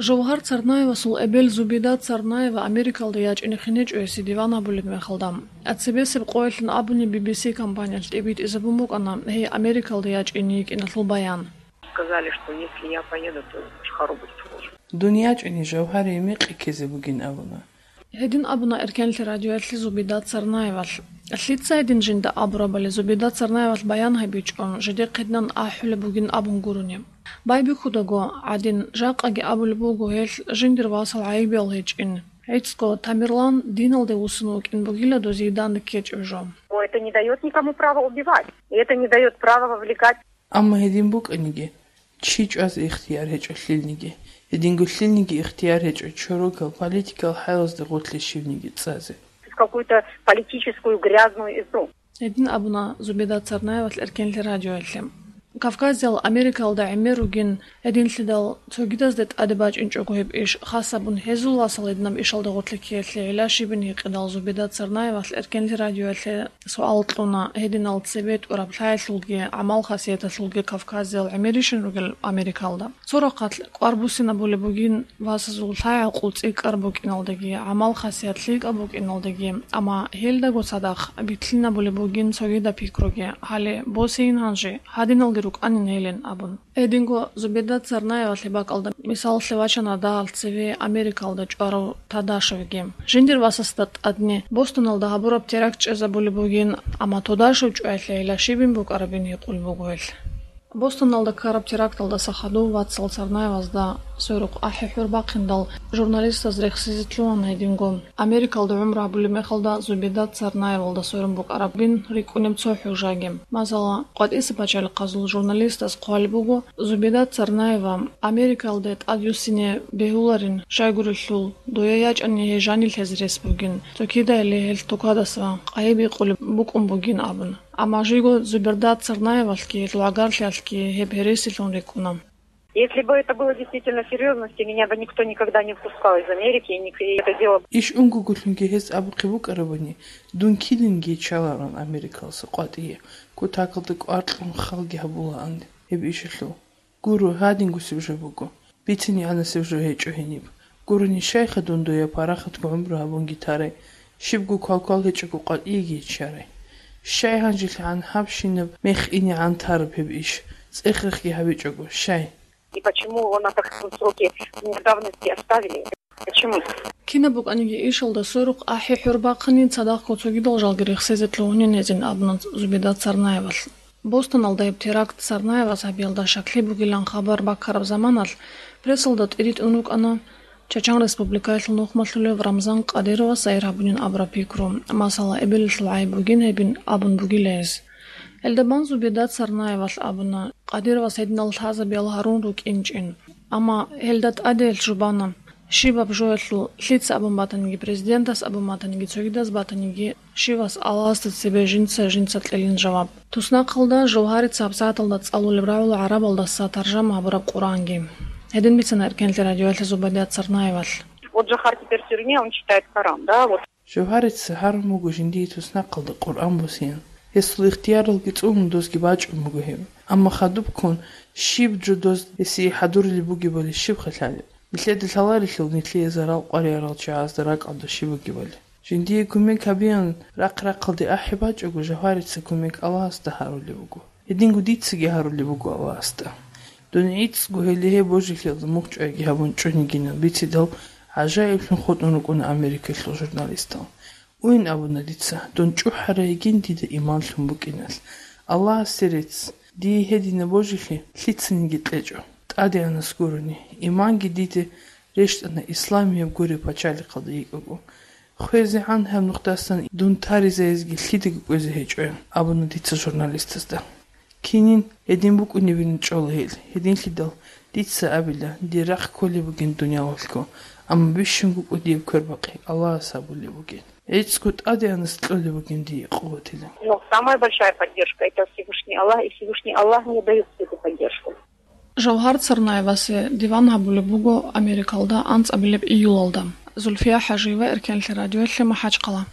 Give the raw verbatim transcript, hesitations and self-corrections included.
Жавгьар Царнаевасул эбел Зубида Царнаева Америкалда ячӀине хинечӀо гьесие диван гьабулеб мехалда. Цебесеб къоялъун абуни Би Би Си компаниялъ тӀибитӀизабун букӀана гьей Америкалда ячӀине йикӀиналъул баян. Сказали, что если я поеду, то Шахару будет хуже. Дун ячӀине Жавгьарие мекъи ккезе бугин абуна. Гьедин абуна Эркенлъи радиоялъе Зубида Царнаевалъ. Лъица гьедин жинда абурабали Зубида Царнаевалъ баян гьабичӀо, жидехъ гьединан ахӀулеб бугин абун гурони. Байбихьудаго гӀадин, жакъаги абулеб буго гьелъ жиндир васал гӀайибиял гьечӀин. ГӀицӀго Тамерлан диналде вуссун вукӀин бугила дозие данде ккечӀеб жо. Это не даёт никому права убивать. И это не даёт права вовлекать. Амма гьедин букӀаниги, чи чӀвазе ихтияр гьечӀо лъилниги, гьединго лъилниги ихтияр гьечӀо чорокал политикал хӀалазде гъорлъе щивниги цӀазе. В какую-то политическую грязную игру. Гьедин абуна Зубеда Царнаевалъ Эркенлъи радиоялъе. Кавказиял Америкалда гӀемер ругин, гьединлъидал цогидазде тӀаде бачӀинчӀого гьеб иш, хас абун гьезул васал гьединаб ишалда гъорлъе ккеялъе гӀилла щибин гьикъидал Зубеда Царнаевалъ Эркенлъи радиоялъе суал кьуна, гьединал цебе тӀураб лъаялъулги, гӀамал-хасияталъулги Кавказиял гӀемерищин ругел Америкалда. Цо рахъалъ кӀвар буссинабулеб бугин васазул лъай-гӀакъул цӀикӀкӀар букӀиналдаги, гӀамал-хасият лъикӀаб букӀиналдаги, амма гьелдаго цадахъ битлъинабулеб бугин цогидаб пикруги, гьале босейин гьанже, гьадиналги рукӀанин гьелин абун. Гьединго Зубеда Царнаевалъе бакӀалда мисаллъе вачана дагьал цеве Америкалда чӀварав Тадашевги. Жиндир васасда тӀадни Бостоналда гьабураб теракт чӀезабулеб бугин, амма Тодашев чӀваялъе гӀилла щибин букӀарабин гьикъулеб буго гьелъ. Бостоналда ккараб теракталдаса хадув вацал Царнаевазда сверухъ ахӀи-хӀур бахъиндал журналистаз рехсезе лъугьана гьединго. Америкалда гӀумру гьабулеб мехалда Зубеда Царнаевалда сверун букӀарабин рикӀкӀунеб цо хӀужаги. Масала, къватӀиса пачалихъазул журналистаз хъвалеб буго, Зубеда Царнаева Америкалде тӀадвуссине бегьуларин, щайгурелъул, дое ячӀани гьей жанил гьез рес бугин, цо кидайили гьелъ тукадаса къайи бикъулеб букӀун бугин абун. Амма жиго Зубеда Царнаевалъги гьелъул гӀагарлъиялъги гьеб гьересилъун рикӀкӀуна. Если бы это было действительно серьёзно, меня бы никто никогда не выпускал из Америки, и ник-, и это дело. Иш унгогулъунги гьез абухъе букӀарабани, дун килинги чаларан Америкаласа къватӀие, кутакалда кӀвар кьун халги гьабулаан гьеб ишалъул. Гуро, гьадингусеб жо буго. БицинегӀанасеб жо гьечӀо гьениб. Гурони, щайха дун дуе парахатго гӀумру гьабунги тарай, щибго квалквал гьечӀого къватӀиеги гьечӀарай? Щай гьанжелъагӀан гьабщинаб мех инегӀан тараб гьеб иш, цӀехрехги гьабичӀого, щай? И почему его на таком сроке давности оставили? Почему? Кинаб букӀаниги ишалда сверухъ ахӀи-хӀур бахъанин цадахъго цогидал жалги рехсезе лъугьунин гьезин абуна Зубеда Царнаевалъ. Бостоналда гьеб теракт Царнаевас гьабиялда щаклъи бугилан хабар баккараб заманалъ прессалда тӀиритӀун рукӀана Чачан Республикаялъул нухмалъулев Рамзан Къадировас сайир гьабунин абураб пикру, масала, эбелалъул гӀайиб бугин гьебин абун бугила гьес. Гьелда бан Зубеда Царнаевалъ абуна, Къадировас гьединал лъазабиял гьарун рукӀинчӀин. Амма гьелда тӀаде гьелъ жубана, щибаб жоялъул, лъица абун батаниги, президентас абун батаниги, цогидас батаниги, щивас Аллагьасда цебе жинца-жинца кьелин жаваб. Туснахъалда Жавгьарица гьабсагӀаталда цӀалулеб рагӀула гӀарабалдаса таржама гьабураб Къуръанги. Гьедин бицана Эркенлъи радиоялъе Зубеда Царнаевалъ. Вот Жавгьар теперь в тюрьме, он читает Коран, да, вот. Жавгьарица гьарун буго жиндие туснахъалда Къуръан босеян. Гьесул ихтияралги цӀунула, дозги бачӀун буго гьеб. Амма хадубккун щиб жо доз гьесие хӀадурулеб бугебали щибха лъалеб? Нилъеда лъаларелъул нилъее зарал къваригӀарал чагӀазда ракӀалда щиб бугебали? Жиндие кумек гьабеян рахъ-рахъалде ахӀи бачӀого, Жавгьарица кумек Аллагьасда гьарулеб буго. Гьединго дицаги гьарулеб буго Аллагьасда. Дун гӀицӀго гьеле гьеб божилъиялда мухь чӀвайги гьабун чӀунигинан бицидал, гӀажаиблъун хутӀун рукӀуна Америкалъул журналистал. Уйин абуна дица, дун чӀухӀарай йигин дида иман лъун букӀиналъ. Аллагьасе рецц, дие гьединаб божилъи лъицаниги кьечӀо. ТӀадегӀанас гурони, иманги диде рещтӀана исламияб гуреб пачалихъалда йикӀаго. ХвезегӀан гьаб нухдасан дун таризайизги лъидаго кӀвезе гьечӀо, абуна дица журналистазда. Кинин гьедин букӀунебин чӀола гьел, гьединлъидал дица абила, дир рахъ кколеб бугин дуниялалъго, амма бищунго кӀудияб квербакъи Аллагьас гьабулеб бугин. ГӀицӀго ТӀадегӀанас кьолеб бугин дие къуватилан. Но самая большая поддержка — это Всевышний Аллах, и Всевышний Аллах мне даёт всю эту поддержку. Жавгьар Царнаевасе диван гьабулеб буго Америкалда анцӀабилеб июлалда. Зульфия ХӀажиева, Эркенлъи радиоялъе, МахӀачхъала.